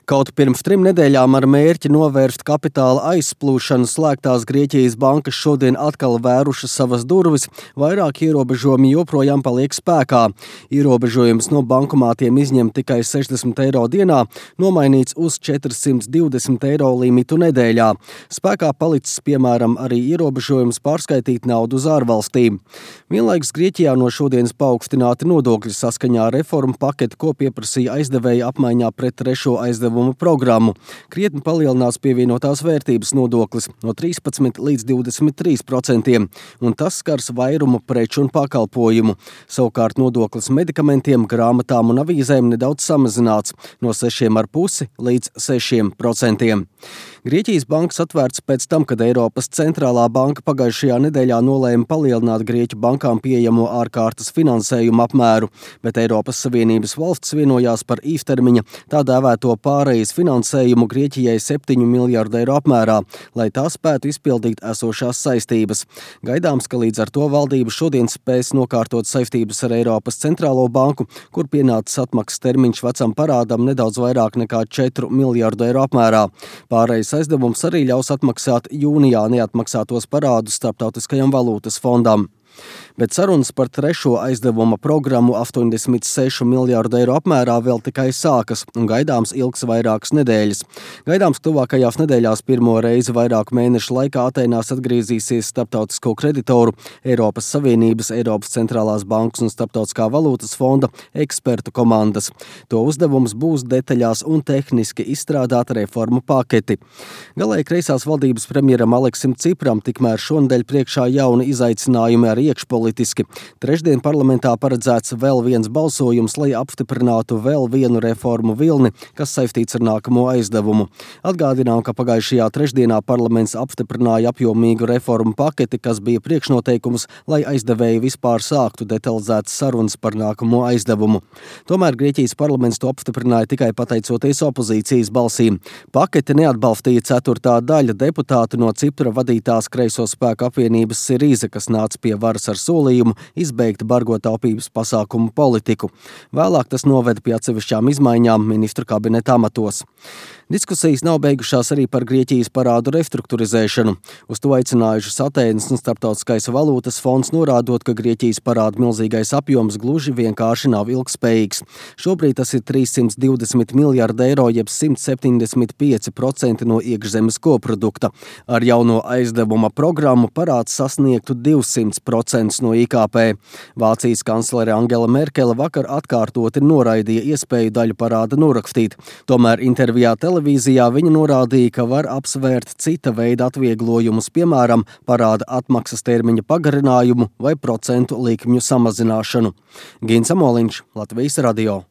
Kaut pirms 3 nedēļām ar mērķi novērst kapitāla aizplūšanu slēgtās Grieķijas bankas šodien atkal vērušas savas durvis, vairāk ierobežojumi joprojām paliek spēkā. Ierobežojums no bankomātiem izņemt tikai 60 eiro dienā, nomainīts uz 420 eiro limitu nedēļā. Spēkā palicis, piemēram, arī ierobežojums pārskaitīt naudu uz ārvalstīm. Vienlaikus Grieķijā no šodienas paaugstināti nodokļi saskaņā ar reformu paketi, ko pieprasīja aizdevēja apmaiņā pret trešo aizdevumu programmu. Krietni palielinās pievienotās vērtības nodoklis no 13 līdz 23%, un tas skars vairumu preču un pakalpojumu. Savukārt nodoklis medikamentiem, grāmatām un avīzēm nedaudz samazināts no 6,5 līdz 6%. Grieķijas bankas atvērts pēc tam, kad Eiropas centrālā banka pagājušajā nedēļā nolēma palielināt Grieķu bankām pieejamo ārkārtas finansējumu apmēru, bet Eiropas Savienības valsts vienojās par īstermiņa tā dēvēto pārejas finansējumu Grieķijai 7 miljārdu eiro apmērā, lai tā spētu izpildīt esošās saistības. Gaidāms, ka līdz ar to valdība šodien spēs nokārtot saistības ar Eiropas centrālo banku, kur pienācis atmaksas termiņš vecam parādam nedaudz vairāk nekā 4 miljārdu eiro apmērā. Pārejas aizdevums arī ļaus atmaksāt jūnijā neatmaksātos parādus Starptautiskajam valūtas fondam. Bet sarunas par trešo aizdevuma programmu 86 miljārdu eiro apmērā vēl tikai sākas un gaidāms ilgs vairākas nedēļas. Gaidāms, ka tuvākajās nedēļās pirmo reizi vairāku mēnešu laikā Atēnās atgriezīsies starptautisko kreditoru, Eiropas Savienības, Eiropas centrālās bankas un Starptautiskā valūtas fonda ekspertu komandas. To uzdevums būs detaļās un tehniski izstrādāt reformu paketi. Galēji kreisās valdības premjeram Aleksim Cipram tikmēr šonedēļ priekšā jauni izaicinājumi ar iekšpolitiski. Trešdien parlamentā paredzēts vēl viens balsojums, lai apstiprinātu vēl vienu reformu vilni, kas saistīts ar nākamo aizdevumu. Atgādinām, ka pagājušajā trešdienā parlaments apstiprināja apjomīgu reformu paketi, kas bija priekšnoteikums, lai aizdevēji vispār sāktu detalizētas sarunas par nākamo aizdevumu. Tomēr Grieķijas parlaments to apstiprināja tikai pateicoties opozīcijas balsīm. Paketi neatbalstīja ceturtā daļa deputāti no Cipra vadītās kreiso spēku apvienības Sirīza, kas nāca pie varas ar solījumu izbeigt bargo taupības pasākumu politiku. Vēlāk tas noveda pie atsevišķām izmaiņām ministru kabineta amatos. Diskusijas nav beigušās arī par Grieķijas parādu restruktūrizēšanu. Uz to aicinājušas Atēnas un Starptautiskais valūtas fonds, norādot, ka Grieķijas parāda milzīgais apjoms gluži vienkārši nav ilgspējīgs. Šobrīd tas ir 320 miljārdi eiro, jeb 175% no iekšzemes koprodukta. Ar jauno aizdevuma programmu parāds sasniegtu 200% no IKP. Vācijas kanclere Angela Merkele vakar atkārtoti noraidīja iespēju daļu parāda norakstīt. Tomēr intervijā televīzijā viņa norādīja, ka var apsvērt cita veida atvieglojumus, piemēram, parāda atmaksas termiņa pagarinājumu vai procentu likmju samazināšanu. Gins Amoliņš, Latvijas radio.